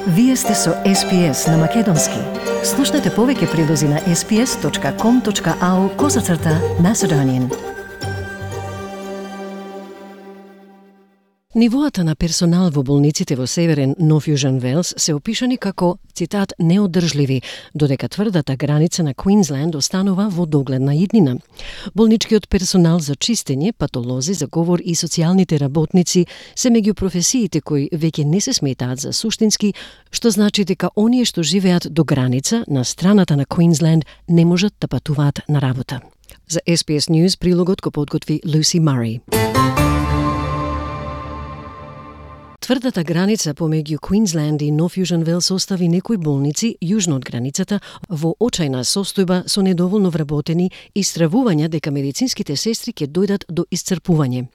Вие сте со SPS на Македонски. Слушнете повеќе прилози на sps.com.au/Macedonian. Нивоата на персонал во болниците во Северен Нов Јужен Велс се опишани како, цитат, неодржливи, додека тврдата граница на Квинсленд останува во догледна иднина. Болничкиот персонал за чистење, патолози, за говор и социјалните работници се меѓу професиите кои веќе не се сметаат за суштински, што значи дека оние што живеат до граница на страната на Квинсленд не можат да патуваат на работа. За SPS News прилогот го подготви Lucy Murray. Тврдата граница помеѓу Квинсленд и Нов Јужен Велс остави некои болници јужно од границата во очајна состојба со недоволно вработени и стравувања дека медицинските сестри ќе дојдат до исцрпување.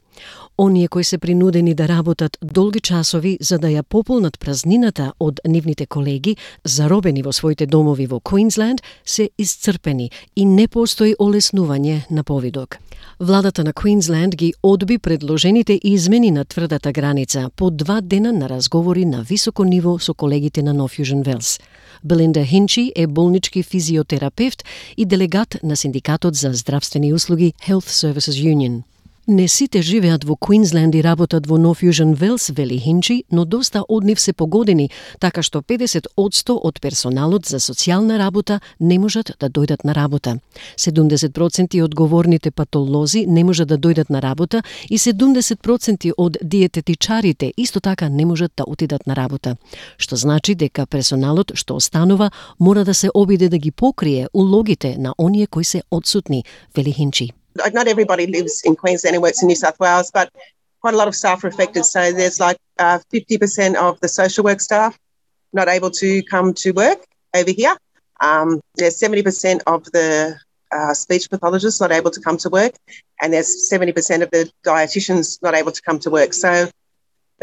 Оние кои се принудени да работат долги часови за да ја пополнат празнината од нивните колеги, заробени во своите домови во Квинсленд, се исцрпени и не постои олеснување на повидок. Владата на Квинсленд ги одби предложените измени на тврдата граница по 2 дена на разговори на високо ниво со колегите на Нов Јужен Велс. Белинда Хинчи е болнички физиотерапевт и делегат на Синдикатот за здравствени услуги Health Services Union. Не сите живеат во Квинсленд и работат во Нов Јужен Велс, вели Хинчи, но доста од нив се погодени, така што 50% од персоналот за социјална работа не можат да дојдат на работа. 70% од говорните патолози не можат да дојдат на работа и 70% од диететичарите исто така не можат да отидат на работа. Што значи дека персоналот што останува мора да се обиде да ги покрие улогите на оние кои се одсутни, вели Хинчи. Not everybody lives in Queensland and works in New South Wales, but quite a lot of staff are affected. So there's like 50% of the social work staff not able to come to work over here. There's 70% of the speech pathologists not able to come to work, and there's 70% of the dietitians not able to come to work. So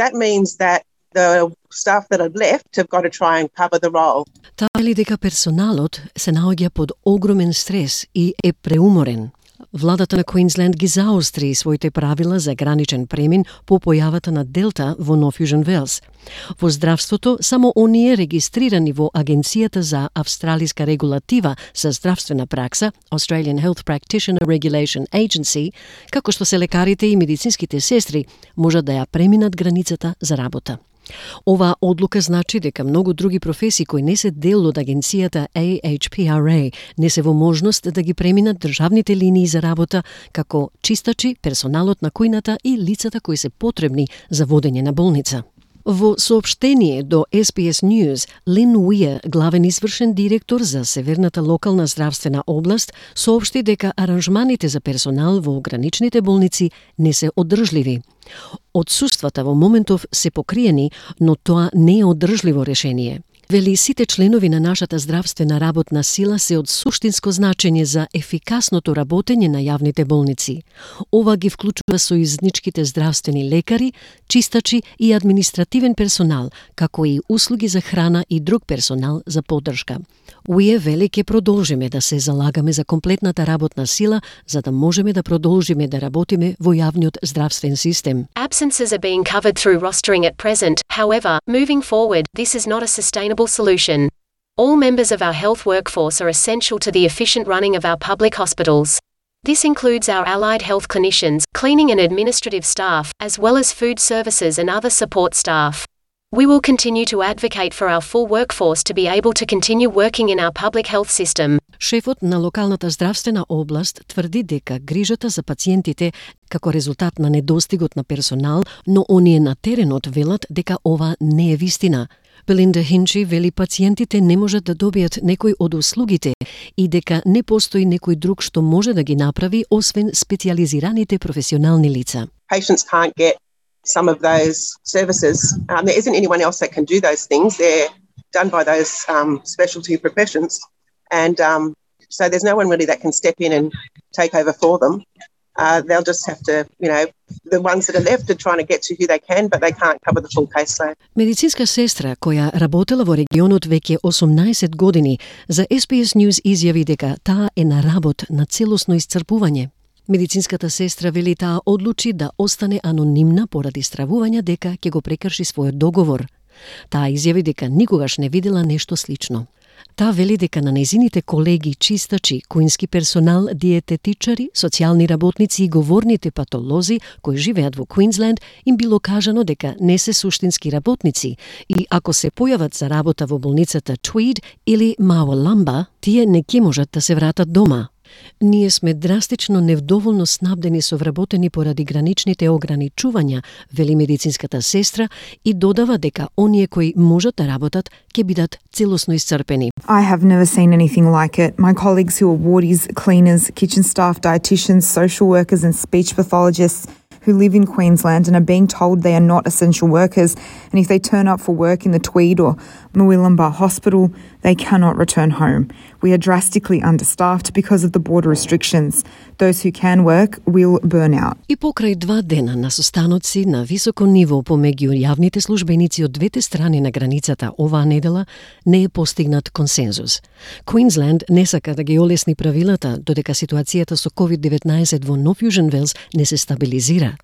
that means that the staff that are left have got to try and cover the role. Таа вели дека персоналот се наоѓа под огромен стрес и е преуморен. Владата на Квинсленд ги заостри своите правила за граничен премин по појавата на Делта во Нов Јужен Велс. Во здравството, само оние регистрирани во Агенцијата за австралиска регулатива за здравствена пракса, Australian Health Practitioner Regulation Agency, како што се лекарите и медицинските сестри, можат да ја преминат границата за работа. Оваа одлука значи дека многу други професии кои не се дел од агенцијата AHPRA не се во можност да ги преминат државните линии за работа, како чистачи, персоналот на кујната и лицата кои се потребни за водење на болница. Во соопштение до SPS News, Лин Уиер, главен извршен директор за Северната локална здравствена област, соопшти дека аранжманите за персонал во граничните болници не се одржливи. Одсуствата во моментов се покриени, но тоа не е одржливо решение. Вели, сите членови на нашата здравствена работна сила се од суштинско значење за ефикасното работење на јавните болници. Ова ги вклучува сојузничките здравствени лекари, чистачи и административен персонал, како и услуги за храна и друг персонал за поддршка. Уие вели ќе продолжиме да се залагаме за комплетната работна сила, за да можеме да продолжиме да работиме во јавниот здравствен систем. Absences are being covered through rostering at present. However, moving forward, this is not a sustainable solution. All members of our health workforce are essential to the efficient running of our public hospitals. This includes our allied health clinicians, cleaning and administrative staff, as well as food services and other support staff. We will continue to advocate for our full workforce to be able to continue working in our public health system. Шефот на локалната здравствена област тврди дека грижата за пациентите како резултат на недостигот на персонал, но оние на теренот велат дека ова не е вистина. Белинда Хинчи вели пациентите не можат да добијат некој од услугите и дека не постои некој друг што може да ги направи освен специјализираните професионални лица. Patients can't get some of those services. There isn't anyone else that can do those things. They're done by those specialty professions. And so there's no one really that can step in and take over for them. They'll just have to, the ones that are left are trying to get to who they can, but they can't cover the full caseload. Медицинска сестра која работела во регионот веќе 18 години, за SPS News изјави дека таа е на работ на целосно исцрпување. Медицинската сестра вели таа одлучи да остане анонимна поради стравување дека ќе го прекрши својот договор. Таа изјави дека никогаш не видела нешто слично. Таа вели дека на нејзините колеги чистачи, куински персонал, диететичари, социјални работници и говорните патолози кои живеат во Квинсленд им било кажано дека не се суштински работници и ако се појават за работа во болницата Tweed или Мауаламба, тие не ќе можат да се вратат дома. Ние сме драстично невдоволно снабдени со вработени поради граничните ограничувања, вели медицинската сестра и додава дека оние кои можат да работат ќе бидат целосно исцрпени. I have never seen anything like it. My colleagues who are wardies, cleaners, kitchen staff, dietitians, social workers and speech pathologists who live in Queensland and are being told they are not essential workers, and if they turn up for work in the Tweed or Murwillumbah Hospital, they cannot return home. We are drastically understaffed because of the border restrictions. Those who can work will burn out. И покрај 2 дена на состаноци на високо ниво помеѓу јавните службеници од двете страни на границата оваа недела не е постигнат консензус. Квинсленд не сака да ги олесни правилата додека ситуацијата со COVID-19 во Нов Јужен Велс не се стабилизира.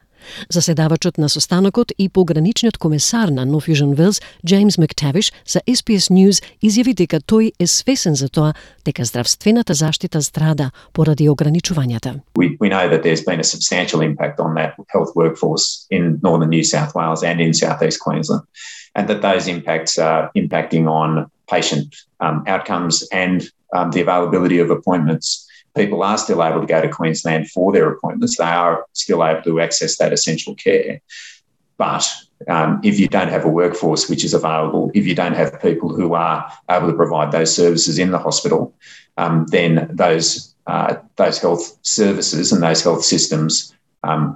Заседавачот на состанокот и пограничниот комесар на Нов Јужен Велс, Джеймс Мактавиш, за SBS News изјави дека тој е свесен за тоа дека здравствената заштита страда поради ограничувањата. We know that there's been a substantial impact on that health workforce in northern New South Wales and in southeast Queensland, and that those impacts are impacting on patient outcomes and the availability of appointments. People are still able to go to Queensland for their appointments. They are still able to access that essential care. But if you don't have a workforce which is available, if you don't have people who are able to provide those services in the hospital, then those health services and those health systems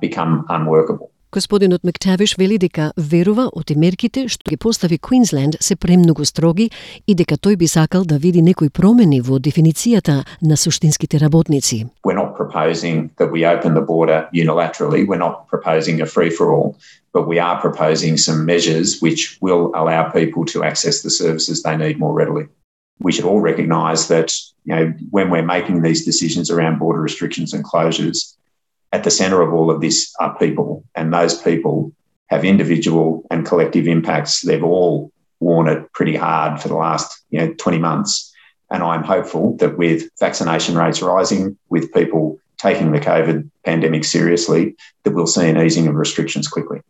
become unworkable. Господинот Мактавиш вели дека верува оти мерките што ги постави Квинсленд се премногу строги и дека тој би сакал да види некои промени во дефиницијата на суштинските работници. We're not proposing that we open the border unilaterally. We're not proposing a free-for-all, but we are proposing some measures which will allow people to access the services they need more readily. We should all recognise that, when we're making these decisions around border restrictions and closures, at the centre of all of this are people, and those people have individual and collective impacts. They've all worn it pretty hard for the last 20 months. And I'm hopeful that with vaccination rates rising, with people taking the COVID pandemic seriously, that we'll see an easing of restrictions quickly.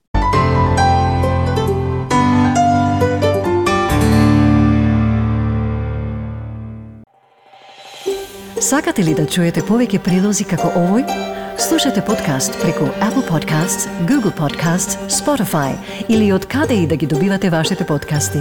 Сакате ли да чуете повеќе прилози како овој? Слушате подкаст преку Apple Podcasts, Google Podcasts, Spotify или од каде и да ги добивате вашите подкасти.